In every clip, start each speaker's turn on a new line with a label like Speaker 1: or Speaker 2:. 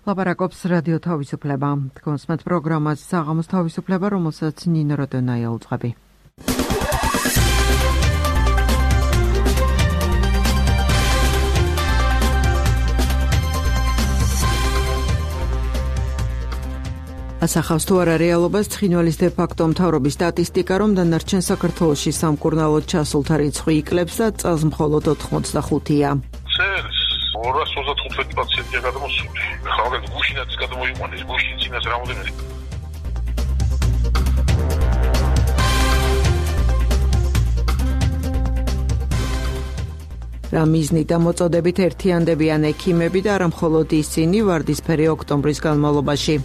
Speaker 1: ლაპარაკობს რადიო თავისუფლება. თქვენს პროგრამას საღამოს თავისუფლება, რომელსაც ნინო როდონაია უძღვები. ასახავს თუ არა რეალობას ცხინვალის დე-ფაქტო მთავრობის სტატისტიკა, რომ დანარჩენ საქართველოში სამკურნალოდ ჩასულთა რიცხვი იკლებს და წელს მხოლოდ 85-ია.
Speaker 2: 235 პაციენტია გადამოსული. ხალხი გუშინაც გადამოიყვანეს, გუშინ წინას რამოდენიმე.
Speaker 1: რა მიზნით და მოწოდებით ერთიანდებიან ექიმები და არა მხოლოდ ისინი ვარდისფერი ოქტომბრის განმავლობაში.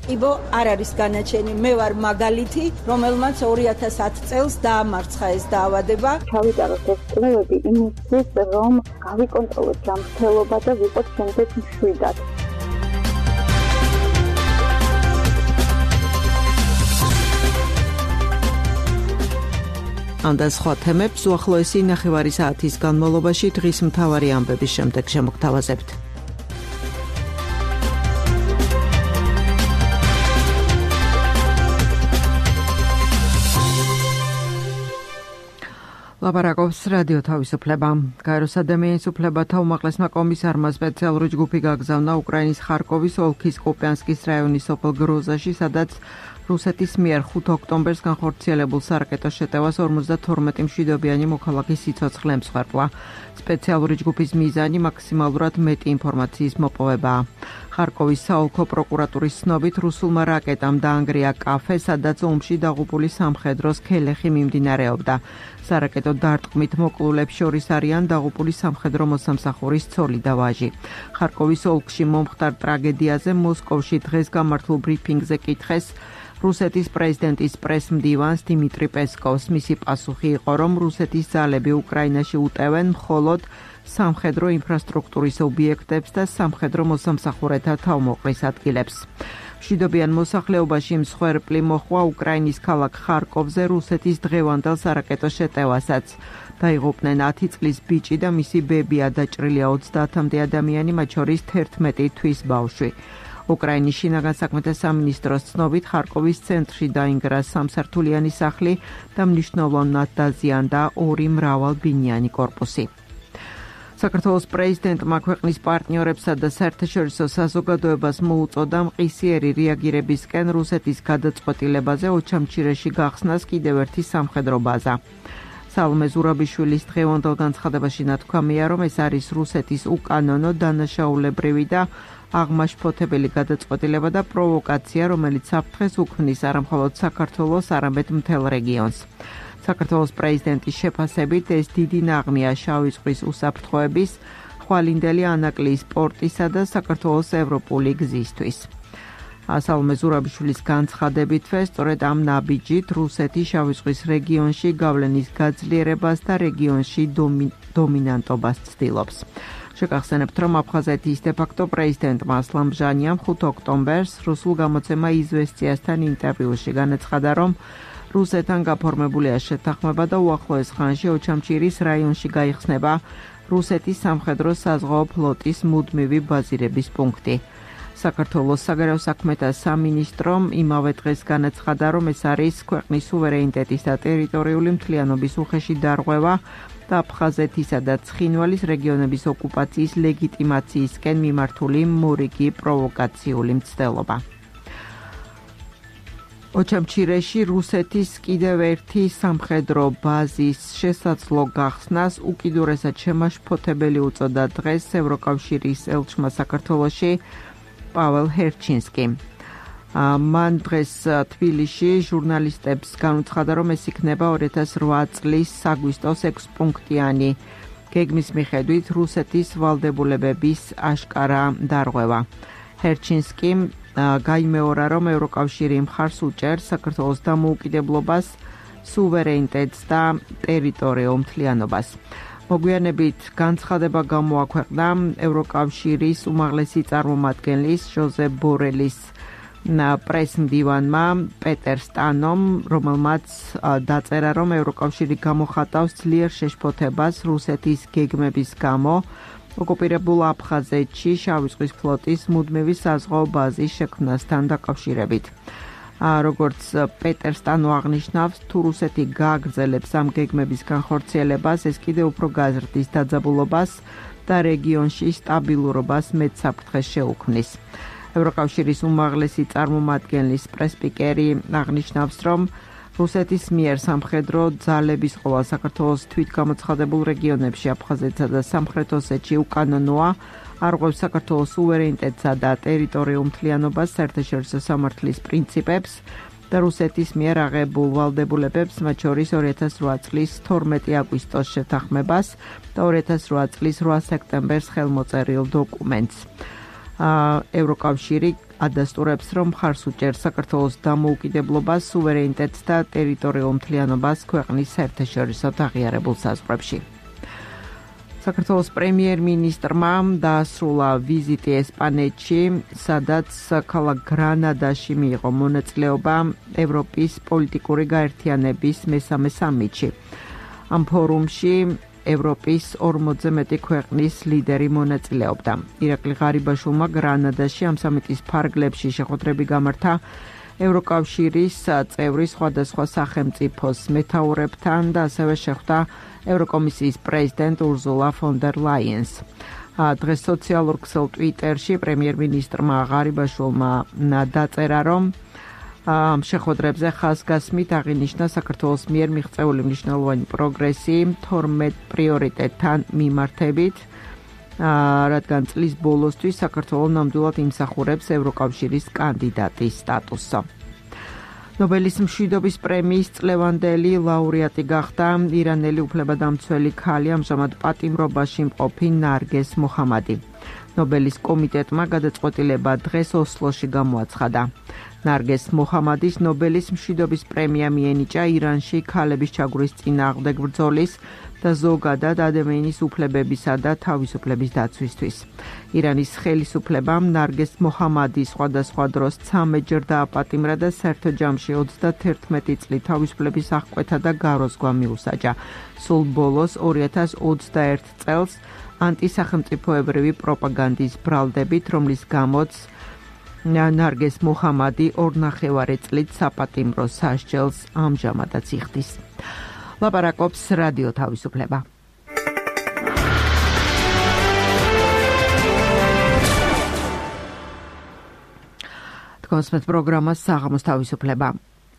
Speaker 3: იბო არ არის განაჩენი, მე ვარ მაგალითი, რომელმაც 2010 წელს დაამარცხა ეს დაავადება.
Speaker 4: ჩავიტაროთ ეს კვლევები იმისთვის, რომ გავიკონტროლოთ ჯანმრთელობა და ვიყოთ შემდეგ მშვიდად.
Speaker 1: ამ და სხვა თემებს უახლოესი ნახევარი საათის განმავლობაში დღის მთავარი ამბების შემდეგ შემოგთავაზებთ. ლაპარაკობს რადიო თავისუფლება. გაეროს ადამიანის უფლებათა უმაღლესმა კომისარმა სპეციალური ჯგუფი გაგზავნა უკრაინის ხარკოვის ოლქის კუპიანსკის რაიონის სოფელ გროზაში, სადაც რუსეთის მიერ 5 ოქტომბერს განხორციელებულ სარაკეტო შეტევას 52 მშვიდობიანი მოქალაქის სიცოცხლე ემსხვერპლა. სპეციალური ჯგუფის მიზანი მაქსიმალურად მეტი ინფორმაციის მოპოვებაა. ხარკოვის საოლქო პროკურატურის ცნობით რუსულმა რაკეტამ დაანგრია კაფე, სადაც ომში დაღუპული სამხედროს ქელეხი მიმდინარეობდა. სარაკეტო დარტყმით მოკლულებს შორის არიან დაღუპული სამხედრო მოსამსახურის ცოლი და ვაჟი. ხარკოვის ოლქში მომხდარ ტრაგედიაზე მოსკოვში დღეს გამართულ ბრიფინგზე კითხეს რუსეთის პრეზიდენტის პრესმდივანს დიმიტრი პესკოვს. მისი პასუხი იყო, რომ რუსეთის ძალები უკრაინაში უტევენ მხოლოდ სამხედრო ინფრასტრუქტურის ობიექტებს და სამხედრო მოსამსახურეთა თავმოყრის ადგილებს. მშვიდობიან მოსახლეობაში მსხვერპლი მოჰყვა უკრაინის ქალაქ ხარკოვზე რუსეთის დღევანდელ სარაკეტო შეტევასაც. დაიღუპნენ 10 წლის ბიჭი და მისი ბებია, დაჭრილია 30-მდე ადამიანი, მათ შორის 11 თვის ბავშვი. უკრაინის შინაგან საქმეთა სამინისტროს ცნობით ხარკოვის ცენტრში დაინგრა სამსართულიანი სახლი და მნიშვნელოვნად დაზიანდა 2 მრავალბინიანი კორპუსი. საქართველოს პრეზიდენტმა ქვეყნის პარტნიორებსა და საერთაშორისო საზოგადოებას მოუწოდა მყისიერი რეაგირებისკენ რუსეთის გადაწყვეტილებაზე ოჩამჩირეში გახსნას კიდევ ერთი სამხედრო ბაზა. სალომე ზურაბიშვილის დღევანდელ განცხადებაში ნათქვამია, რომ ეს არის რუსეთის უკანონო, დანაშაულებრივი და აღმაშფოთებელი გადაწყვეტილება და პროვოკაცია, რომელიც საფრთხეს უქმნის არა მხოლოდ საქართველოს, არამედ მთელ რეგიონს. საქართველოს პრეზიდენტის შეფასებით ეს დიდი ნაღმია შავი ზღვის უსაფრთხოების, ხვალინდელი ანაკლიის პორტისა და საქართველოს ევროპული გზისთვის. სალომე ზურაბიშვილის განცხადებითვე სწორედ ამ ნაბიჯით რუსეთი შავი ზღვის რეგიონში გავლენის გაძლიერებას და რეგიონში დომინანტობას ცდილობს. შეგახსენებთ, რომ აფხაზეთის დე-ფაქტო პრეზიდენტმა ასლან ბჟანიამ 5 ოქტომბერს რუსულ გამოცემა „იზვესტიასთან“ ინტერვიუში განაცხადა, რომ რუსეთთან გაფორმებულია შეთანხმება და უახლოეს ხანში ოჩამჩირის რაიონში გაიხსნება რუსეთის სამხედრო საზღვაო ფლოტის მუდმივი ბაზირების პუნქტი. საქართველოს საგარეო საქმეთა სამინისტრომ იმავე დღეს განაცხადა, რომ ეს არის ქვეყნის სუვერენიტეტის და ტერიტორიული მთლიანობის უხეში დარღვევა და აფხაზეთისა და ცხინვალის რეგიონების ოკუპაციის ლეგიტიმაციისკენ მიმართული მორიგი პროვოკაციული მცდელობა. ოჩამჩირეში რუსეთის კიდევ ერთი სამხედრო ბაზის შესაძლო გახსნას უკიდურესად შემაშფოთებელი უწოდა დღეს ევროკავშირის ელჩმა საქართველოში პაվել ჰერჩინსკი. მან დღეს თბილისში ჟურნალისტებს განუცხადა, რომ ეს იქნება 2008 წლის საგვისტოს 6 პუნქტიანი გეგმის მიხედვით რუსეთის ვალდებულებების აშკარა დარღვევა. ჰერჩინსკიმ გაიმეორა, რომ ევროკავშირი მხარს უჭერს საქართველოს დამოუკიდებლობას, სუვერენიტეტს და ტერიტორიულ მთლიანობას. მოგვიანებით განცხადება გამოაქვეყნა ევროკავშირის უმაღლესი წარმომადგენლის ჟოზეფ ბორელის პრესმდივანმა პეტერ სტანომ, რომელმაც დაწერა, რომ ევროკავშირი გამოხატავს ძლიერ შეშფოთებას რუსეთის გეგმების გამო ოკუპირებულ აფხაზეთში შავი ზღვის ფლოტის მუდმივი საზღვაო ბაზის შექმნასთან დაკავშირებით. როგორც პეტერ სტანო აღნიშნავს, თუ რუსეთი გააგრძელებს ამ გეგმების განხორციელებას, ეს კიდევ უფრო გაზრდის დაძაბულობას და რეგიონში სტაბილურობას მეტსაფრთხეს შეუქმნის. ევროკავშირის უმაღლესი წარმომადგენლის პრესპიკერი აღნიშნავს, რომ რუსეთის მიერ სამხედრო ძალების ყოლა საქართველოს თვითგამოცხადებულ რეგიონებში აფხაზეთსა და სამხრეთ ოსეთში უკანონოა, არღვევს საქართველოს სუვერენიტეტსა და ტერიტორიულ მთლიანობას, საერთაშორისო სამართლის პრინციპებს და რუსეთის მიერ აღებულ ვალდებულებებს, მათ შორის 2008 წლის 12 აგვისტოს შეთანხმებას და 2008 წლის 8 სექტემბერს ხელმოწერილ დოკუმენტს. ევროკავშირი ადასტურებს, რომ მხარს უჭერს საქართველოს დამოუკიდებლობას, სუვერენიტეტს და ტერიტორიულ მთლიანობას ქვეყნის საერთაშორისო აღიარებულ საზღვრებში. საქართველოს პრემიერ-მინისტრმა დაასრულა ვიზიტი ესპანეთში, სადაც ქალაქ გრანადაში მიიღო მონაწილეობა ევროპის პოლიტიკური გაერთიანების მესამე სამიტში. ამ ფორუმში ევროპის 40-ზე მეტი ქვეყნის ლიდერი მონაწილეობდა. ირაკლი ღარიბაშვილმა გრანადაში ამ სამიტის ფარგლებში შეხვედრები გამართა ევროკავშირის წევრი სხვადასხვა სახელმწიფოს მეთაურებთან და ასევე შეხვდა ევროკომისიის პრეზიდენტ ურზულა ფონ დერ ლაიენს. დღეს სოციალურ ქსელ ტვიტერში პრემიერ-მინისტრმა ღარიბაშვილმა დაწერა, რომ ამ შეხვედრებზე ხაზგასმით აღინიშნა საქართველოს მიერ მიღწეული მნიშვნელოვანი პროგრესი 12 პრიორიტეტთან მიმართებით, რადგან წლის ბოლოსთვის საქართველო ნამდვილად იმსახურებს ევროკავშირის კანდიდატის სტატუსს. ნობელის მშვიდობის პრემიის წლევანდელი ლაურეატი გახდა ირანელი უფლებადამცველი ქალი, ამჟამად პატიმრობაში მყოფი ნარგეს მოხამადი. ნობელის კომიტეტმა გადაწყვეტილება დღეს ოსლოში გამოაცხადა. ნარგეს მოხამადის ნობელის მშვიდობის პრემია მიენიჭა ირანში ქალების ჩაგვრის წინააღმდეგ ბრძოლის და ზოგადად ადამიანის უფლებებისა და თავისუფლების დაცვისთვის. ირანის ხელისუფლებამ ნარგეს მოხამადი სხვადასხვა დროს 13-ჯერ დააპატიმრა და საერთო ჯამში 31 წლით თავისუფლების აღკვეთა და გაროზღვა მიუსაჯა. სულ ბოლოს 2021 წელს ანტისახელმწიფოებრივი პროპაგანდის ბრალდებით, რომლის გამოც ნარგეს მოხამადი 2.5 წლით საპატიმრო სასჯელს ამჟამადაც იხდის. ლაპარაკობს რადიო თავისუფლება. თქვენს პროგრამას საღამოს თავისუფლება.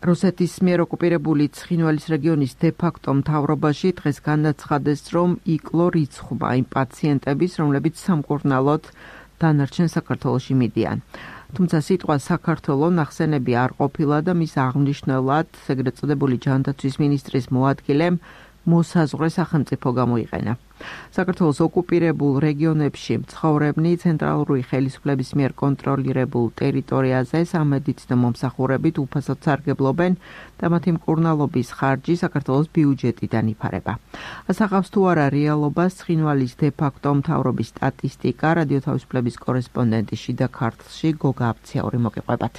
Speaker 1: რუსეთის მიერ ოკუპირებული ცხინვალის რეგიონის დე-ფაქტო მთავრობაში დღეს განაცხადეს, რომ იკლო რიცხვმა იმ პაციენტების, რომლებიც სამკურნალოდ დანარჩენ საქართველოში მიდიან. თუმცა სიტყვა საქართველო ნახსენები არ ყოფილა და მის აღნიშნულად ეგრეთ წოდებული ჯანდაცვის მინისტრის მოადგილემ მოსაზღვრე სახელმწიფო გამოიყენა. საქართველოს ოკუპირებულ რეგიონებში მცხოვრებნი ცენტრალური ხელისუფლების მიერ კონტროლირებულ ტერიტორიაზე სამედიცინო მომსახურებით უფასოდ სარგებლობენ და მათი მკურნალობის ხარჯი საქართველოს ბიუჯეტიდან იფარება. ასახავს თუ არა რეალობას ცხინვალის დე-ფაქტო მთავრობის სტატისტიკა, რადიო თავისუფლების კორესპონდენტი შიდა ქართლში გოგა აფციაური მოგიყვებათ.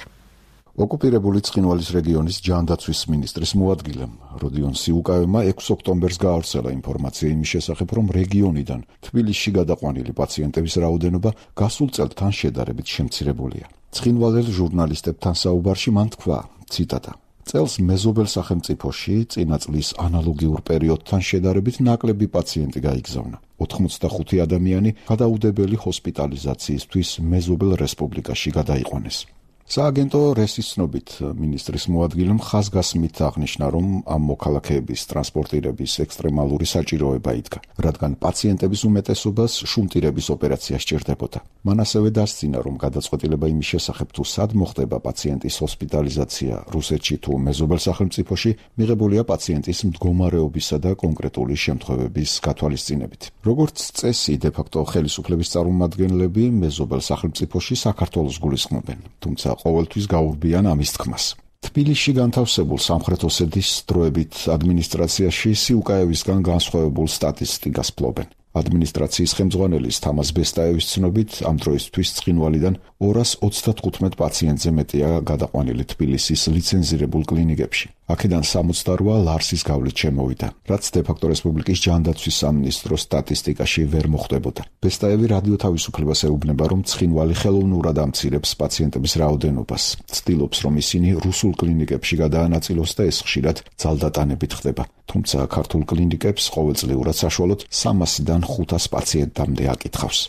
Speaker 5: ოკუპირებული ცხინვალის რეგიონის ჯანდაცვის მინისტრის მოადგილემ როდიონ სიუკავემ 6 ოქტომბერს გაავრცელა ინფორმაცია იმის შესახებ, რომ რეგიონიდან თბილისში გადაყვანილი პაციენტების რაოდენობა გასულ წელთან შედარებით შემცირებულია. ცხინვალელ ჟურნალისტებთან საუბარში მან თქვა, ციტატა: წელს მეზობელ სახელმწიფოში წინა წლის ანალოგიურ პერიოდთან შედარებით ნაკლები პაციენტი გაიგზავნა. 85 ადამიანი გადაუდებელი ჰოსპიტალიზაციისთვის მეზობელ რესპუბლიკაში გადაიყვანეს. სააგენტო რესის ცნობით მინისტრის მოადგილემ ხაზგასმით აღნიშნა, რომ ამ მოქალაქეების ტრანსპორტირების ექსტრემალური საჭიროება იდგა, რადგან პაციენტების უმეტესობას შუნტირების ოპერაცია სჭირდებოდა. მან ასევე დასცინა, რომ გადაწყვეტილება იმის შესახებ, თუ სად მოხდება პაციენტის ჰოსპიტალიზაცია რუსეთში თუ მეზობელ სახელმწიფოში, მიღებულია პაციენტის მდგომარეობისა და კონკრეტული შემთხვევების გათვალისწინებით. როგორც წესი, დე-ფაქტო ხელისუფლების წარმომადგენლები მეზობელ სახელმწიფოში საქართველოს გულისხმობენ, თუმცა ყოველთვის გაურბიან ამის თქმას. თბილისში განთავსებულ სამხრეთ ოსეთის დროებით ადმინისტრაციაში სიუკაევისგან განსხვავებულ სტატისტიკას ფლობენ. ადმინისტრაციის ხელმძღვანელის თამაზ ბესტაევის ცნობით, ამ დროისთვის ცხინვალიდან 235 პაციენტზე მეტია გადაყვანილი თბილისის ლიცენზირებულ კლინიკებში. აქედან 68 ლარსის გავლით შემოვიდა, რაც დე-ფაქტო რესპუბლიკის ჯანდაცვის სამინისტროს სტატისტიკაში ვერ მოხვდებოდა. ბესტაევი რადიო თავისუფლებას ეუბნება, რომ ცხინვალი ხელოვნურად ამცირებს პაციენტების რაოდენობას. ცდილობს, რომ ისინი რუსულ კლინიკებში გადაანაწილოს და ეს ხშირად ძალდატანებით ხდება. თუმცა ქართულ კლინიკებს ყოველწლიურად საშუალოდ 300-დან 500 პაციენტამდე აკითხავს.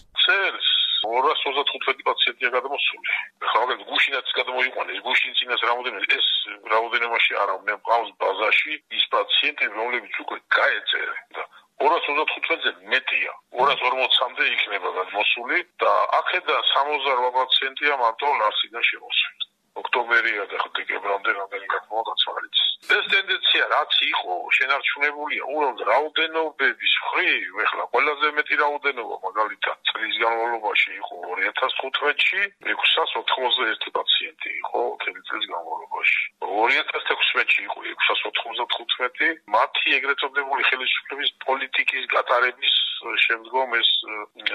Speaker 2: 235 პაციენტია გადამოსული. ხა მაგალითად გუშინაც გადამოიყვანეს, გუშინ წინას ეს რაოდენობაში არა, მე მყავს ბაზაში ის პაციენტები, რომლებიც უკვე გაეწერენ და 235-ზე მეტია. 240-მდე იქნება გადმოსული და აქედან 68 პაციენტია მარტო ლარსიდან შემოსული. ოქტომბერია და დეკემბრამდე რამდენი გადმოვაწყდა არის. ეს ტენდენცია რაც იყო, შენარჩუნებულია უბრალოდ რაოდენობების მხრივ, ეხლა ყველაზე მეტი რაოდენობა მაგალითად წლის განმავლობაში იყო 2015-ში 691 პაციენტი იყო წლის განმავლობაში. 2016-ში იყო 695, მათი ეგრეთ წოდებული ხელისუფლების პოლიტიკის გატარების შემდგომ ეს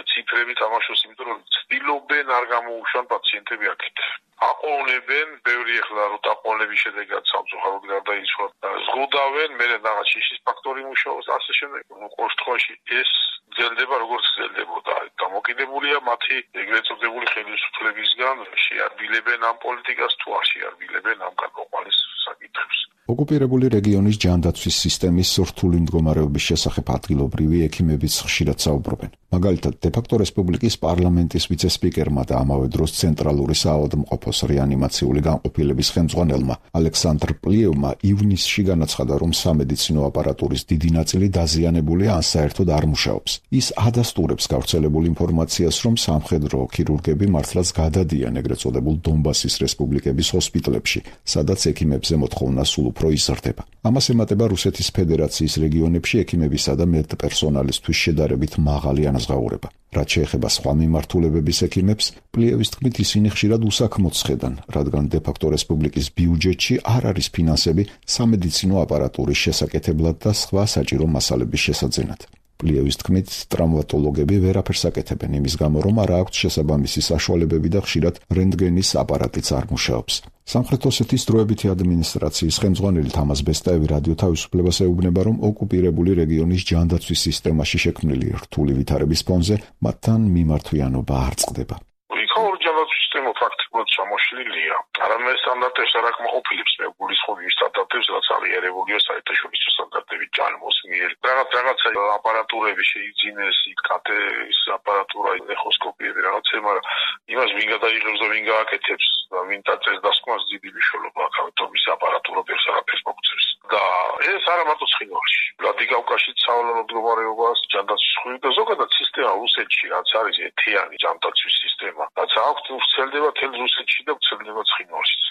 Speaker 2: ციფრები თამაშობს, იმიტომ რომ ცდილობენ არ გამოუშვან პაციენტები აქეთ. აყოვნებენ, ბევრი ეხლა რო დაყოვნების შედეგად სამწუხაროდ გარდაიცვალა. ზღუდავენ, მე რაღაც შიშის ფაქტორი მუშაობს, ასე შემდეგ. ყოველ შემთხვევაში ეს გრძელდება როგორც გრძელდებოდა. დამოკიდებულია მათი ეგრეთ წოდებული ხელისუფლებისგან, შეარბილებენ ამ პოლიტიკას თუ არ შეარბილებენ ამ გადაყვანის საკითხებს.
Speaker 5: ოკუპირებული რეგიონის ჯანდაცვის სისტემის რთული მდგომარეობის შესახებ ადგილობრივი ექიმებიც ხშირად საუბრობენ. მაგალითად, დე-ფაქტო რესპუბლიკის პარლამენტის ვიცე-სპიკერმა და ამავე დროს ცენტრალური საავადმყოფოს რეანიმაციული განყოფილების ხელმძღვანელმა ალექსანდრ პლიევმა ივნისში განაცხადა, რომ სამედიცინო აპარატურის დიდი ნაწილი დაზიანებულია ან საერთოდ არ მუშაობს. ის ადასტურებს გავრცელებულ ინფორმაციას, რომ სამხედრო ქირურგები მართლაც გადადიან ეგრეთ წოდებულ დონბასის რესპუბლიკების ჰოსპიტალებში, სადაც ექიმებზე მოთხოვნა სულ უფრო იზრდება. ამას ემატება რუსეთის ფედერაციის რეგიონებში ექიმებისა და მედპერსონალისთვის შედარებით მაღალი ანაზღაურება. რაც შეეხება სხვა მიმართულებების ექიმებს, პლიევის თქმით ისინი ხშირად უსაქმოდ ხედან, რადგან დე-ფაქტო რესპუბლიკის ბიუჯეტში არ არის ფინანსები სამედიცინო აპარატურის შესაკეთებლად და სხვა საჭირო მასალების შესაძენად. პლიევის თქმით, ტრავმატოლოგები ვერაფერს აკეთებენ იმის გამო, რომ არ აქვთ შესაბამისი საშუალებები და ხშირად რენტგენის აპარატიც არ მუშაობს. სამხრეთ ოსეთის დროებითი ადმინისტრაციის ხელმძღვანელი თამაზ ბესტაევი რადიო თავისუფლებას ეუბნება, რომ ოკუპირებული რეგიონის ჯანდაცვის სისტემაში შექმნილი რთული ვითარების ფონზე მათთან მიმართვიანობა არ წყდება.
Speaker 2: სისტემა ფაქტობრივად ჩამოშლილია. არამედ სტანდარტებს არ აკმაყოფილებს მეგულისხმობ იმ სტანდარტებს, რაც აღიარებულია საერთაშორისო სტანდარტების ჯანმოს მიერ. რაღაცა აპარატურები შეიძინეს, კათეს აპარატურა, ეხოსკოპიები, რაღაცა, მაგრამ იმას ვინ გადაიღებს და ვინ გააკეთებს და ვინ დაწეს დასკვნას დიდი მნიშვნელობა აქვს, ამიტომ ის აპარატურა ბევრს არაფერს მოგწევს. და ეს არა მარტო ცხინვალში. ვლადიკავკაზში სავალალო მდგომარეობას ჯანდაცვის ხრივ და ზოგადად სისტემა რუსეთში, რაც არის ეთიანი ჯანდაცვის სისტემა, რაც აქვს ვრცელდება თელ რუსეთში და ვრცელდება ცხინვალშიც.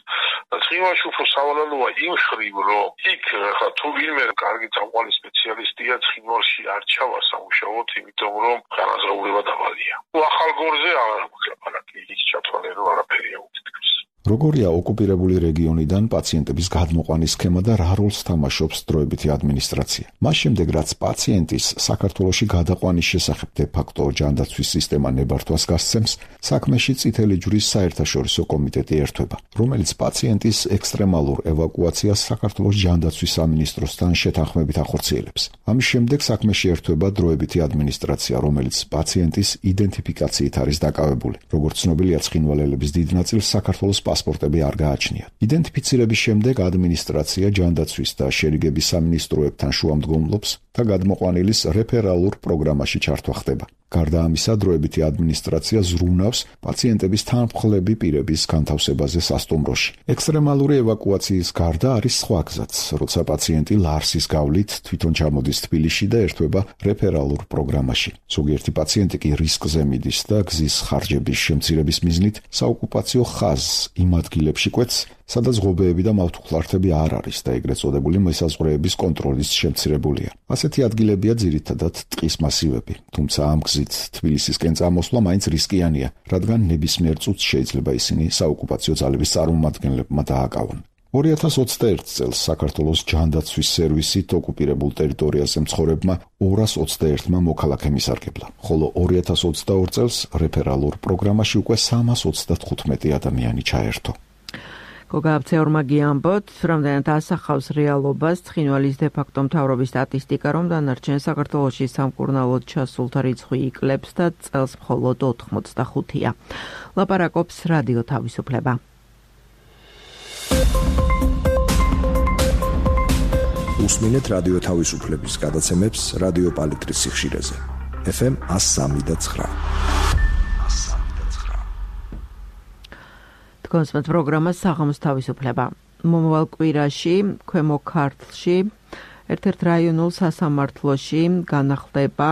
Speaker 2: და ცხინვალში უფრო სავალალოა იმ ხრივ, რომ იქ ხა თუ ვინმე კარგი წამყვანი სპეციალისტია, ცხინვალში არ ჩავა სამუშაოდ, იმიტომ რომ განაზღაურება დავალია. თუ ახალ გორზე აღარ მოკლაპარაკი, იქ ჩათვალე რომ არაფერია უთითქმის.
Speaker 5: როგორია ოკუპირებული რეგიონიდან პაციენტების გადმოყვანის სქემა და რა როლს თამაშობს დროებითი ადმინისტრაცია? მას შემდეგ, რაც პაციენტის საქართველოში გადაყვანის შესახებ დე-ფაქტო ჯანდაცვის სისტემა ნებართვას გასცემს, საქმეში წითელი ჯვრის საერთაშორისო კომიტეტი ერთვება, რომელიც პაციენტის ექსტრემალურ ევაკუაციას საქართველოს ჯანდაცვის სამინისტროსთან შეთანხმებით ახორციელებს. ამის შემდეგ საქმეში ერთვება დროებითი ადმინისტრაცია, რომელიც პაციენტის იდენტიფიკაციით არის დაკავებული. როგორც ცნობილია, ცხინვალელების დიდ ნაწილს საქართველოს პასპორტები არ გააჩნიათ. იდენტიფიცირების შემდეგ ადმინისტრაცია ჯანდაცვის და შერიგების სამინისტროებთან შუამდგომლობს და გადმოყვანილის რეფერალურ პროგრამაში ჩართვა ხდება. გარდა ამისა, დროებითი ადმინისტრაცია ზრუნავს პაციენტების თანმხლები პირების განთავსებაზე სასტუმროში. ექსტრემალური ევაკუაციის გარდა არის სხვა გზაც, როცა პაციენტი ლარსის გავლით თვითონ ჩამოდის თბილისში და ერთვება რეფერალურ პროგრამაში. ზოგიერთი პაციენტი კი რისკზე მიდის და გზის ხარჯების შემცირების მიზნით საოკუპაციო ხაზს იმ ადგილებში კვეთს, სადაც ღობეები და მავთუხლართები არ არის და ეგრეთ წოდებული მესაზღვრეების კონტროლის შემცირებულია. ასეთი ადგილებია ძირითადად ტყის მასივები, თუმცა ამ გზით თბილისისკენ წამოსვლა მაინც რისკიანია, რადგან ნებისმიერ წუთს შეიძლება ისინი საოკუპაციო ძალების წარმომადგენლებმა დააკავონ. 2021 წელს საქართველოს ჯანდაცვის სერვისით ოკუპირებულ ტერიტორიაზე მცხოვრებმა 221-მა მოქალაქე მისარგებლა, ხოლო 2022 წელს რეფერალურ პროგრამაში უკვე 335 ადამიანი ჩაერთო.
Speaker 1: გოგა აბცეორმა გიამბოთ, რამდენად ასახავს რეალობას ცხინვალის დე-ფაქტო მთავრობის სტატისტიკა, რომ დანარჩენ საქართველოში სამკურნალოდ ჩასულთა რიცხვი იკლებს და წელს მხოლოდ 85-ია. ლაპარაკობს რადიო თავისუფლება.
Speaker 6: უსმინეთ რადიო თავისუფლების გადაცემებს რადიო პალიტრის სიხშირეზე. FM 103.9.
Speaker 1: კონსპект პროგრამა საღამოს თავისუფლება. მომავალ კვირაში ქვემო ქართლში ერთ-ერთ რაიონულ სასამართლოში განახლდება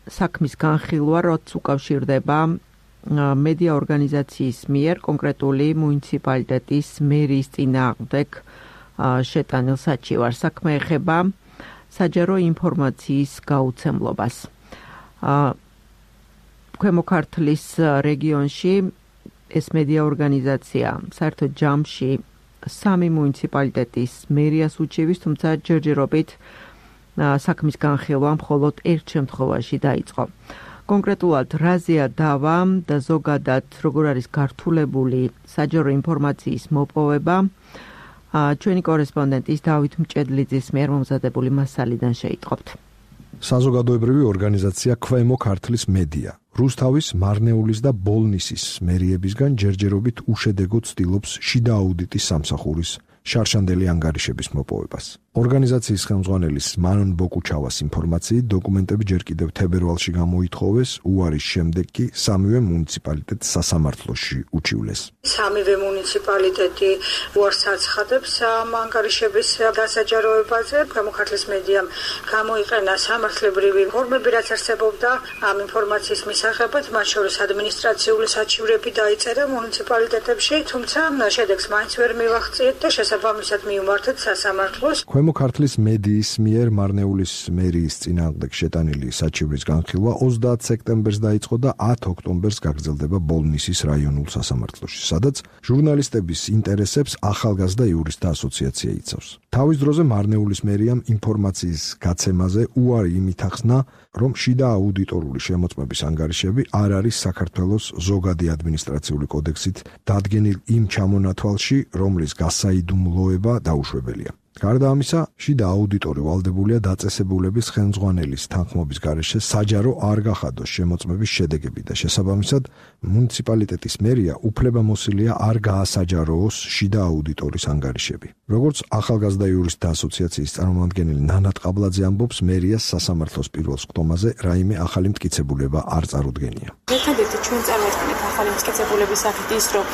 Speaker 1: საქმის განხილვა, რაც უკავშირდება მედია ორგანიზაციის მიერ კონკრეტული მუნიციპალიტეტის მერის წინააღმდეგ შეტანილ საჩივარს. საქმე ეხება საჯარო ინფორმაციის გაუცემლობას. ქვემო ქართლის რეგიონში ეს მედია ორგანიზაცია საერთოდ ჯამში 3 მუნიციპალიტეტის მერიას უჩივის, თუმცა ჯერჯერობით საქმის განხილვა მხოლოდ ერთ შემთხვევაში დაიწყო. კონკრეტულად რაზეა დავა და ზოგადად როგორ არის გართულებული საჯარო ინფორმაციის მოპოვება, ჩვენი კორესპონდენტის დავით მჭედლიძის მიერ მომზადებული მასალიდან შეიტყობთ.
Speaker 6: საზოგადოებრივი ორგანიზაცია ქვემო ქართლის მედია რუსთავის, მარნეულის და ბოლნისის მერიებისგან ჯერჯერობით უშედეგოდ ცდილობს შიდა აუდიტის სამსახურის შარშანდელი ანგარიშების მოპოვებას. ორგანიზაციის ხელმძღვანელის მანონ ბოკუჩავას ინფორმაციით, დოკუმენტები ჯერ კიდევ თებერვალში გამოითხოვეს, უარის შემდეგ კი 3-ვე მუნიციპალიტეტს სასამართლოში უჩივლეს.
Speaker 7: 3-ვე მუნიციპალიტეტი უარს აცხადებს ამ ანგარიშების დასაჯაროებაზე. ქვემო ქართლის მედიამ გამოიყენა სამართლებრივი ფორმები, რაც არსებობდა ამ ინფორმაციის მისაღებად, მათ შორის ადმინისტრაციული საჩივრები დაიწერა მუნიციპალიტეტებში, თუმცა შედეგს მაინც ვერ მივაღწიეთ და შესაბამისად მიუმართეთ სასამართლოს.
Speaker 6: ქვემო ქართლის მედიის მიერ მარნეულის მერიის წინააღმდეგ შეტანილი საჩივრის განხილვა 30 სექტემბერს დაიწყო და 10 ოქტომბერს გაგრძელდება ბოლნისის რაიონულ სასამართლოში, სადაც ჟურნალისტების ინტერესებს ახალგაზრდა იურისტთა ასოციაცია იცავს. თავის დროზე მარნეულის მერიამ ინფორმაციის გაცემაზე უარი იმით ახსნა, რომ შიდა აუდიტორული შემოწმების ანგარიშები არ არის საქართველოს ზოგადი ადმინისტრაციული კოდექსით დადგენილ იმ ჩამონათვალში, რომლის გასაიდუმლოება დაუშვებელია. გარდა ამისა, შიდა აუდიტორი ვალდებულია დაწესებულების ხელმძღვანელის თანხმობის გარეშე საჯარო არ გახადოს შემოწმების შედეგები და შესაბამისად მუნიციპალიტეტის მერია უფლებამოსილია არ გაასაჯაროოს შიდა აუდიტორის ანგარიშები. როგორც ახალგაზრდა იურისტთა ასოციაციის წარმომადგენელი ნანატ ყაბლაძე ამბობს, მერიას სასამართლოს პირველ სხდომაზე რაიმე ახალი მტკიცებულება არ წარუდგენია.
Speaker 8: ერთადერთი ჩვენ წარმოვიდგენთ ახალი მტკიცებულების სახით ის, რომ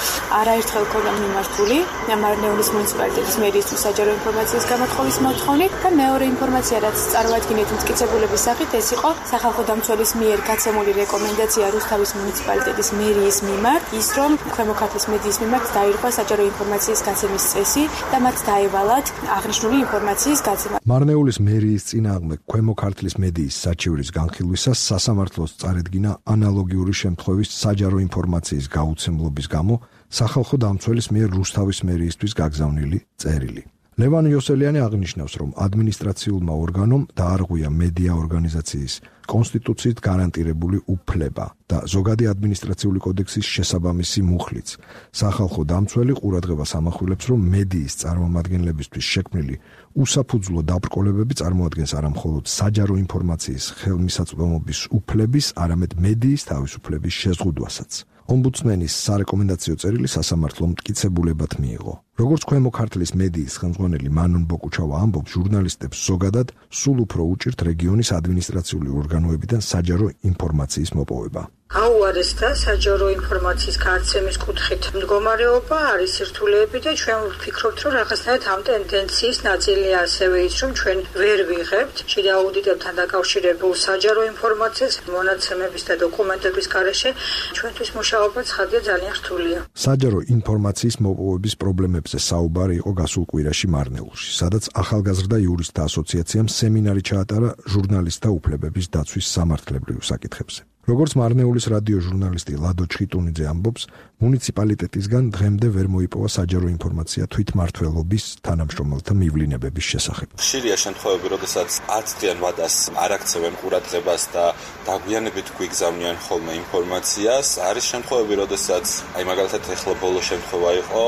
Speaker 8: არაერთხელ ქონდა მიმართული მარნეულის მუნიციპალიტეტის მერიისთვის საჯარო ინფორმაციის გამოთხოვის მოთხოვნით და მეორე ინფორმაცია, რაც წარმოადგენთ მტკიცებულების სახით, ეს იყო სახალხო დამცველის მიერ გაცემული რეკომენდაცია რუსთავის მუნიციპალიტეტის მერიის მიმართ, ის რომ ქვემო ქართლის მედიის მიმართ დაირღვა საჯარო ინფორმაციის გაცემის წესი და მათ დაევალათ აღნიშნული ინფორმაციის გაცემა.
Speaker 6: მარნეულის მერიის წინააღმდეგ ქვემო ქართლის მედიის საჩივრის განხილვისას სასამართლოს წარედგინა ანალოგიური შემთხვევის საჯარო ინფორმაციის გაუცემლობის გამო სახალხო დამცველის მიერ რუსთავის მერიისთვის გაგზავნილი წერილი. ლევან იოსელიანი აღნიშნავს, რომ ადმინისტრაციულმა ორგანომ დაარღვია მედია ორგანიზაციის კონსტიტუციით გარანტირებული უფლება და ზოგადი ადმინისტრაციული კოდექსის შესაბამისი მუხლიც. სახალხო დამცველი ყურადღებას ამახვილებს, რომ მედიის წარმომადგენლებისთვის შექმნილი უსაფუძვლო დაბრკოლებები წარმოადგენს არა მხოლოდ საჯარო ინფორმაციის ხელმისაწვდომობის უფლების, არამედ მედიის თავისუფლების შეზღუდვასაც. ომბუდსმენის სარეკომენდაციო წერილი სასამართლომ მტკიცებულებად მიიღო. როგორც ქვემო ქართლის მედიის ხელმძღვანელი მანონ ბოკუჩავა ამბობს, ჟურნალისტებს ზოგადად სულ უფრო უჭირთ რეგიონის ადმინისტრაციული ორგანოებიდან საჯარო ინფორმაციის მოპოვება.
Speaker 7: აუარესდა საჯარო ინფორმაციის გაცემის კუთხით მდგომარეობა, არის სირთულეები და ჩვენ ვფიქრობთ, რომ რაღაცნაირად ამ ტენდენციის ნაწილია ასევე ის, რომ ჩვენ ვერ ვიღებთ შიდა აუდიტებთან დაკავშირებულ საჯარო ინფორმაციას მონაცემების და დოკუმენტების გარეშე. ჩვენთვის მუშაობა ცხადია ძალიან რთულია.
Speaker 6: საჯარო ინფორმაციის მოპოვების პრობლემებზე საუბარი იყო გასულ კვირაში მარნეულში, სადაც ახალგაზრდა იურისტთა ასოციაციამ სემინარი ჩაატარა ჟურნალისტთა უფლებების დაცვის სამართლებრივ საკითხებზე. როგორც მარნეულის რადიო ჟურნალისტი ლადო ჩხიტუნიძე ამბობს, მუნიციპალიტეტისგან დღემდე ვერ მოიპოვა საჯარო ინფორმაცია თვითმმართველობის თანამშრომელთა მივლინებების შესახებ.
Speaker 9: ხშირია შემთხვევები, როდესაც 10 დღიან ვადას არ აქცევენ ყურადღებას და დაგვიანებით გვიგზავნიან ხოლმე ინფორმაციას. არის შემთხვევები, როდესაც მაგალითად ეხლა ბოლო შემთხვევა იყო,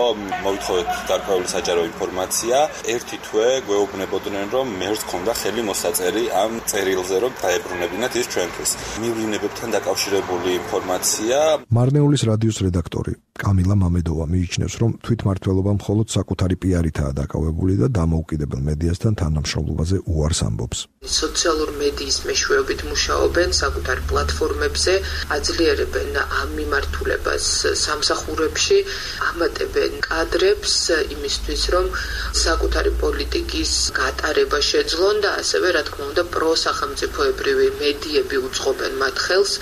Speaker 9: მოვითხოვეთ გარკვეული საჯარო ინფორმაცია, ერთი თვე გვეუბნებოდნენ, რომ მერს ქონდა ხელი მოსაწერი ამ წერილზე, რომ დაებრუნებინათ ის ჩვენთვის. მივლინებებთან დაკავშირებული ინფორმაცია.
Speaker 6: მარნეულის რადიოს რედაქტორი კამილა მამედოვა მიიჩნევს, რომ თვითმმართველობა მხოლოდ საკუთარი პიარითაა დაკავებული და დამოუკიდებელ მედიასთან თანამშრომლობაზე უარს ამბობს.
Speaker 10: სოციალურ მედიის მეშვეობით მუშაობენ საკუთარ პლატფორმებზე, აძლიერებენ ამ მიმართულებას სამსახურებში, ამატებენ კადრებს იმისთვის, რომ საკუთარი პოლიტიკის გატარება შეძლონ და ასევე, რა თქმა უნდა, პროსახელმწიფოებრივი მედიები უწყობენ მათ ხელს,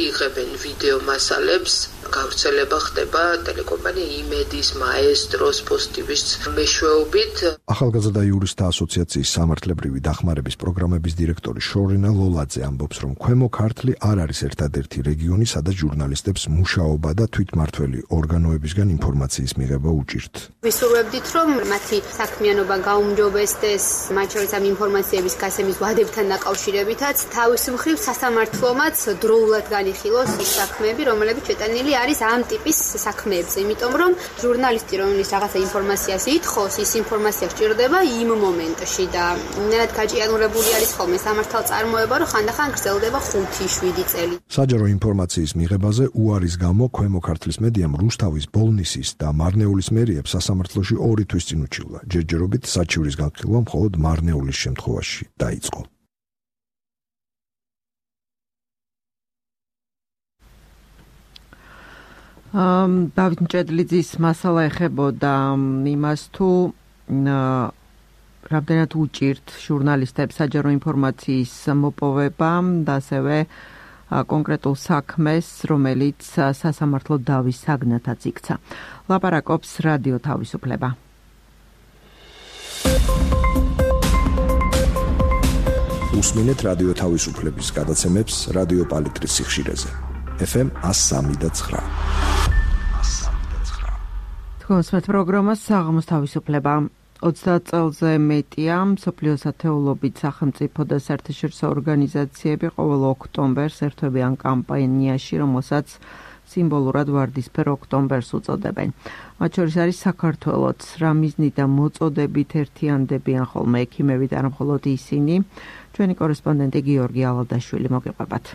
Speaker 10: იღებენ ვიდეო მასალებს, გავრცელება ხდება ტელეკომპანია იმედის, მაესტროს, პოსტივის მეშვეობით.
Speaker 6: ახალგაზრდა იურისტთა ასოციაციის სამართლებრივი დახმარების პროგრამების დირექტორი შორინა ლოლაძე ამბობს, რომ ქვემო ქართლი არ არის ერთადერთი რეგიონი, სადაც ჟურნალისტებს მუშაობა და თვითმმართველი ორგანოებისგან ინფორმაციის მიღება უჭირთ.
Speaker 11: ვისურვებდით, რომ მათი საქმიანობა გაუმჯობესდეს, მათ შორის ამ ინფორმაციების გასცემის ვადებთან დაკავშირებითაც, თავის მხრივ სასამართლომაც დროულად განიხილოს ის საქმეები, რომლებიც შეტანილი არის ამ ტიპის საქმეებზე, იმიტომ რომ ჟურნალისტი, რომელიც რაღაცა ინფორმაციას ითხოვს, ის ინფორმაცია სჭირდება იმ მომენტში და ნერად გაჭიანურებული არის ხოლმე სამართალწარმოება, რომ ხანდახან გრძელდება 5-7 წელი.
Speaker 6: საჯარო ინფორმაციის მიღებაზე უარის გამო ქვემო ქართლის მედიამ რუსთავის, ბოლნისის და მარნეულის მერიებს სასამართლოში 2 თვის წინ უჩივლა. ჯერჯერობით საჩივრის განხილვა მხოლოდ მარნეულის შემთხვევაში დაიწყო.
Speaker 1: დავით მჭედლიძის მასალა ეხებოდა იმას, თუ რამდენად უჭირთ ჟურნალისტებს საჯარო ინფორმაციის მოპოვება და ასევე კონკრეტულ საქმეს, რომელიც სასამართლო დავის საგნათაც იქცა. ლაპარაკობს რადიო თავისუფლება.
Speaker 6: უსმინეთ რადიო თავისუფლების გადაცემებს რადიო პალიტრის სიხშირეზე. FM 103.9.
Speaker 1: თქვენს პროგრამას საღამოს თავისუფლება 30 წელზე მეტია მსოფლიოს ათეულობით სახელმწიფო და საერთაშორისო ორგანიზაციები ყოველ ოქტომბერს ერთვებიან კამპანიაში, რომელსაც სიმბოლურად ვარდისფერ ოქტომბერს უწოდებენ. მათ შორის არის საქართველოც, რა მიზნით მოწოდებით ერთიანდებიან ხოლმე ექიმები და არა მხოლოდ ისინი. ჩვენი კორესპონდენტი გიორგი ალადაშვილი მოგიყვებათ.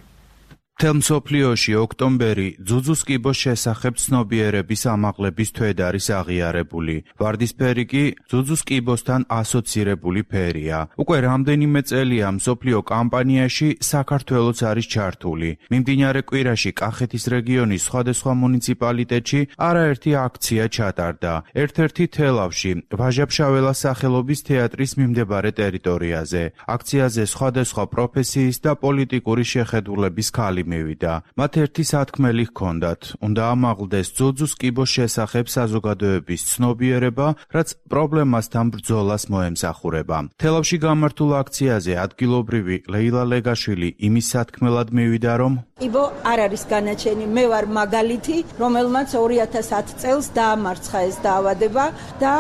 Speaker 12: მთელ მსოფლიოში ოქტომბერი ძუძუს კიბოს შესახებ ცნობიერების ამაღლების თვედ არის აღიარებული. ვარდისფერი კი ძუძუს კიბოსთან ასოცირებული ფერია. უკვე რამდენიმე წელია მსოფლიო კამპანიაში საქართველოც არის ჩართული. მიმდინარე კვირაში კახეთის რეგიონის სხვადასხვა მუნიციპალიტეტში არაერთი აქცია ჩატარდა. ერთ-ერთი თელავში, ვაჟა-ფშაველას სახელობის თეატრის მიმდებარე ტერიტორიაზე. აქციაზე სხვადასხვა პროფესიის და პოლიტიკური შეხედულების ქალი მივიდა. მათ ერთი სათქმელი ჰქონდათ. უნდა ამაღლდეს ძუძუს კიბოს შესახებ საზოგადოების ცნობიერება, რაც პრობლემასთან ბრძოლას მოემსახურება. თელავში გამართულ აქციაზე ადგილობრივი ლეილა ლეგაშვილი იმის სათქმელად მივიდა, რომ
Speaker 3: კიბო არ არის განაჩენი, მე ვარ მაგალითი, რომელმაც 2010 წელს დაამარცხა ეს დაავადება და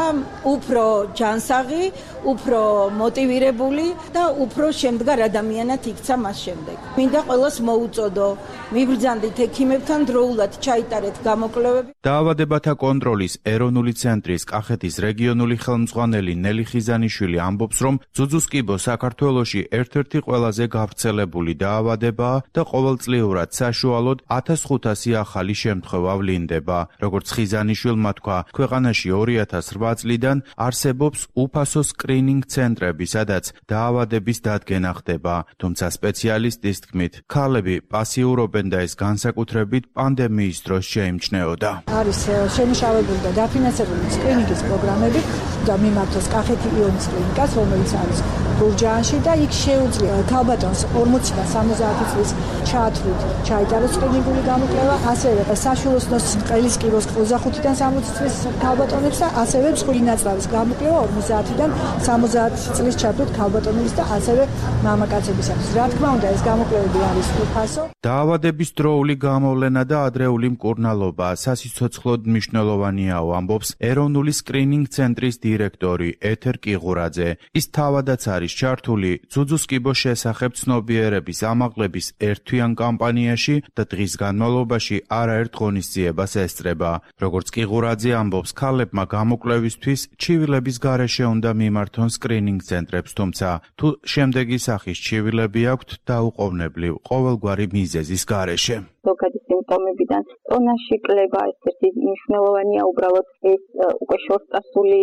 Speaker 3: უფრო ჯანსაღი, უფრო მოტივირებული და უფრო შემდგარ ადამიანად იქცა მას შემდეგ. მინდა ყველას მოუწოდო, მიბრძანდით ექიმებთან დროულად ჩაიტარეთ გამოკვლევები.
Speaker 12: დაავადებათა კონტროლის ეროვნული ცენტრის კახეთის რეგიონული ხელმძღვანელი ნელი ხიზანიშვილი ამბობს, რომ ძუძუს კიბო საქართველოში ერთ-ერთი ყველაზე გავრცელებული დაავადებაა და ყოველწლიურად საშუალოდ 1500 ახალი შემთხვევა ვლინდება. როგორც ხიზანიშვილმა თქვა, ქვეყანაში 2008 წლიდან არსებობს უფასო სკრინინგ ცენტრები, სადაც დაავადების დადგენა ხდება, თუმცა სპეციალისტის თქმით, ქალები პასიურობენ და ეს განსაკუთრებით პანდემიის დროს შეიმჩნეოდა.
Speaker 7: არის შემუშავებული და დაფინანსებული სკრინინგის პროგრამები და მიმართოს კახეთი იონის კლინიკას, რომელიც არის გურჯაანში და იქ შეუძლია ქალბატონს 40 და 70 წლის ჩაათვლით ჩაიტაროს სკრინინგული გამოკვლევა, ასევე საშუალოსნოს ყელის კიბოს 25-დან 60 წლის ქალბატონებს და ასევე მსხვილი ნაწლავის გამოკვლევა 50-დან 70 წლის ჩათვლით ქალბატონებს და ასევე მამაკაცებისათვის. რა თქმა უნდა, ეს გამოკვლევები არის უფასო.
Speaker 12: დაავადების დროული გამოვლენა და ადრეული მკურნალობა სასიცოცხლოდ მნიშვნელოვანიაო, ამბობს ეროვნული სკრინინგ ცენტრის დირექტორი ეთერ კიღურაძე. ის თავადაც არის ჩართული ძუძუს კიბოს შესახებ ცნობიერების ამაღლების ერთთვიან კამპანიაში და დღის განმავლობაში არაერთ ღონისძიებას ესწრება. როგორც კიღურაძე ამბობს, ქალებმა გამოკვლევისთვის ჩივილების გარეშე უნდა მიმართონ სკრინინგ ცენტრებს, თუმცა თუ შემდეგი სახის ჩივილები აქვთ, დაუყოვნებლივ ყოველგვარი მიზეზის გარეშე.
Speaker 4: ზოგადი სიმპტომებიდან ტონაში კლება ერთ-ერთი მნიშვნელოვანია, უბრალოდ ეს უკვე შორტსტასული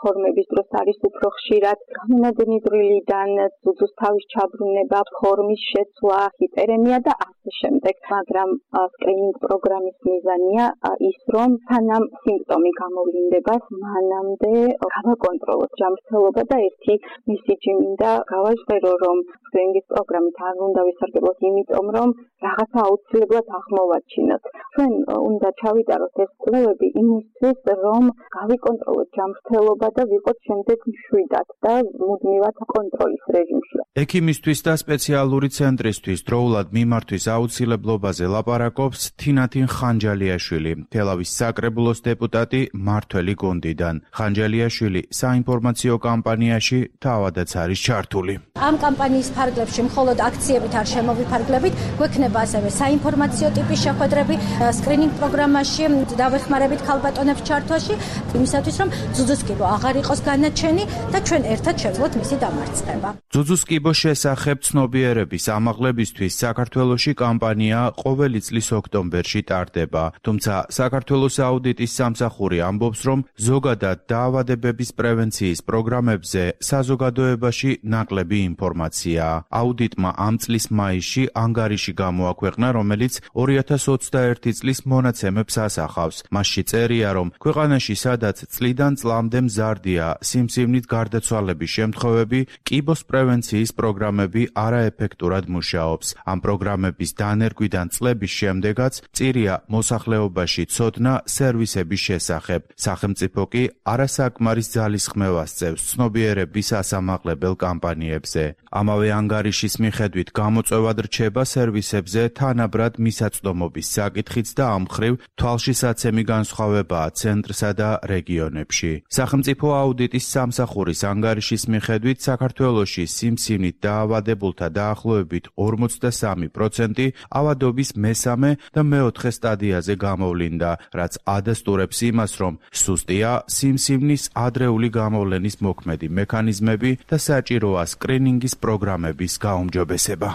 Speaker 4: ფორმების დროს არის უფრო ხშირად. გამონადენიდრილიდან ძუძუს თავის ჩაბრუნება, ფორმის შეცვლა, ჰიპერემია და ასე შემდეგ. მაგრამ სკრინინგ პროგრამის მიზანია ის, რომ სანამ სიმპტომი გამოვლინდება, მანამდე გავაკონტროლოთ ჯანმრთელობა და ერთი მესიჯი მინდა გავაჟღერო, რომ სკრინინგის პროგრამით არ უნდა ვისარგებლოთ, იმიტომ რომ რაღაცა აუცილებლად აღმოვაჩინოთ. ჩვენ უნდა ჩავიტაროთ ეს კვლევები იმისთვის, რომ გავიკონტროლოთ ჯანმრთელობა და ვიყოთ შემდეგ მშვიდად და მუდმივად კონტროლის რეჟიმში.
Speaker 12: ექიმისთვის და სპეციალური ცენტრისთვის დროულად მიმართვის აუცილებლობაზე ლაპარაკობს თინათინ ხანჯალიაშვილი, თელავის საკრებულოს დეპუტატი მართველი გუნდიდან. ხანჯალიაშვილი საინფორმაციო კამპანიაში თავადაც არის ჩართული.
Speaker 13: ამ კამპანიის ფარგლებში მხოლოდ აქციებით არ შემოვიფარგლებით, გვექნება ასევე საინფორმაციო ტიპის შეხვედრები სკრინინგ პროგრამაში, დავეხმარებით ქალბატონებს ჩართვაში, იმისათვის რომ ძუძუს კიბო აღარ იყოს განაჩენი და ჩვენ ერთად შევძლოთ მისი დამარცხება.
Speaker 12: ძუძუს კიბოს შესახებ ცნობიერების ამაღლებისთვის საქართველოში კამპანია ყოველი წლის ოქტომბერში ტარდება, თუმცა საქართველოს აუდიტის სამსახური ამბობს, რომ ზოგადად დაავადებების პრევენციის პროგრამებზე საზოგადოებაში ნაკლები ინფორმაციაა. აუდიტმა ამ წლის მაისში ანგარიში გამოაქვეყნა, რომელიც 2021 წლის მონაცემებს ასახავს. მასში წერია, რომ ქვეყანაში სადაც წლიდან წლამდე მზარდია სიმსივნით გარდაცვალების შემთხვევები, კიბოს პრევენციის პროგრამები არაეფექტურად მუშაობს. ამ პროგრამების დანერგვიდან წლების შემდეგაც წირია მოსახლეობაში ცოდნა სერვისების შესახებ. სახელმწიფო კი არასაკმარის ძალისხმევას წევს ცნობიერების ასამაღლებელ კამპანიებზე. ამავე ანგარიშის მიხედვით გამოწვევად რჩება სერვისებზე თანაბრად მისაწვდომობის საკითხიც და ამ მხრივ თვალშისაცემი განსხვავებაა ცენტრსა და რეგიონებში. სახელმწიფო აუდიტის სამსახურის ანგარიშის მიხედვით საქართველოში სიმსივნით დაავადებულთა დაახლოებით 43% ავადობის მესამე და მეოთხე სტადიაზე გამოვლინდა, რაც ადასტურებს იმას, რომ სუსტია სიმსივნის ადრეული გამოვლენის მოქმედი მექანიზმები და საჭიროა სკრინინგის პროგრამების გაუმჯობესება.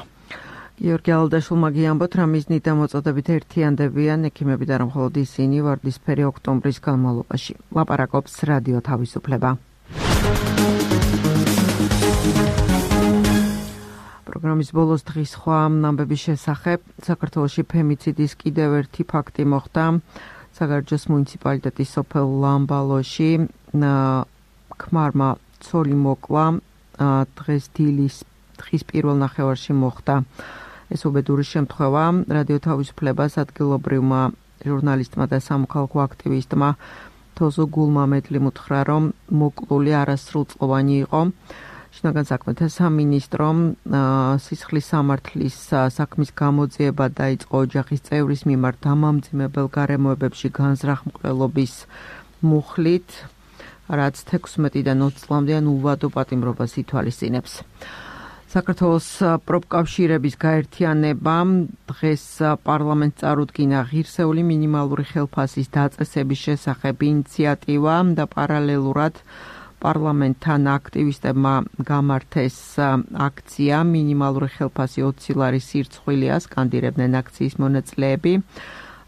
Speaker 1: გიორგი ალდაშვილმა გიამბოთ, რა მიზნით და მოწოდებით ერთიანდებიან ექიმები და რომ მხოლოდ ისინი ვარდისფერი ოქტომბრის განმავლობაში. ლაპარაკობს რადიო თავისუფლება. პროგრამის ბოლოს დღის სხვა ამბების შესახებ საქართველოში ფემიციდის კიდევ ერთი ფაქტი მოხდა. საგარეჯოს მუნიციპალიტეტის სოფელ ლამბალოში ქმარმა ცოლი მოკლა დღეს დღის პირველ ნახევარში მოხდა. ეს უბედური შემთხვევა რადიო თავისუფლებას ადგილობრივმა ჟურნალისტმა და სამოქალაქო აქტივისტმა თოზო გულმამედლიმ უთხრა, რომ მოკლული არასრულწლოვანი იყო. შინაგან საქმეთა სამინისტრომ სისხლის სამართლის საქმის გამოძიება დაიწყო ოჯახის წევრის მიმართ დამამძიმებელ გარემოებებში განზრახმყელობის მუხლით, რაც 16-დან 20 წლამდე უვადო პატიმრობას ითვალისწინებს. საქართველოს პროფკავშირების გაერთიანებამ დღეს პარლამენტს წარუდგინა ღირსეული მინიმალური ხელფასის დაწესების შესახებ ინიციატივა და პარალელურად პარლამენტთან აქტივისტებმა გამართეს აქცია მინიმალური ხელფასი 20 ლარის სირცხვილია, სკანდირებდნენ აქციის მონაწილეები.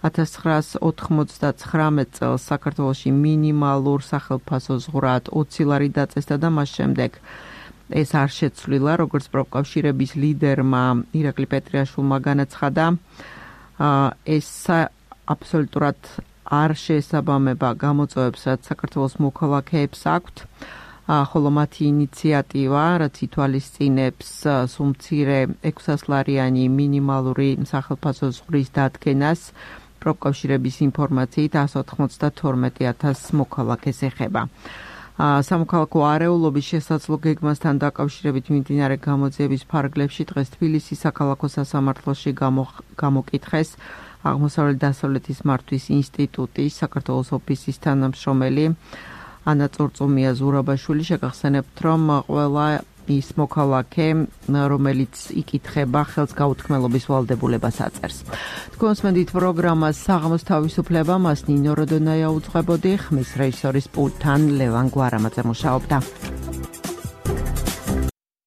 Speaker 1: 1999 წელს საქართველოში მინიმალურ სახელფასო ზღვრად 20 ლარი დაწესდა და მას შემდეგ ეს არ შეცვლილა, როგორც პროფკავშირების ლიდერმა ირაკლი პეტრიაშვილმა განაცხადა. ეს აბსოლუტურად არ შეესაბამება გამოწვევებს, რაც საქართველოს მოქალაქეებს აქვთ. ხოლო მათი ინიციატივა, რაც ითვალისწინებს სუმცირე 600 ლარიანი მინიმალური სახელფასო ზღვრის დადგენას, პროფკავშირების ინფორმაციით 192,000 მოქალაქეს ეხება. სამოქალაქო არეულობის შესაძლო გეგმასთან დაკავშირებით მიმდინარე გამოძიების ფარგლებში დღეს თბილისის საქალაქო სასამართლოში გამოკითხეს აღმოსავლეთ დასავლეთის მართვის ინსტიტუტის საქართველოს ოფისის თანამშრომელი ანა წორწუმია ზურაბაშვილი. შეგახსენებთ, რომ ყველა ის მოქალაქე, რომელიც იკითხება, ხელს გაუთქმელობის ვალდებულებას აწერს. თქვენს მედით პროგრამას საღამოს თავისუფლება მას ნინო როდონაია უძღვებოდი, ხმის რეჟისორის პულტთან ლევან გვარამაძე მუშაობდა.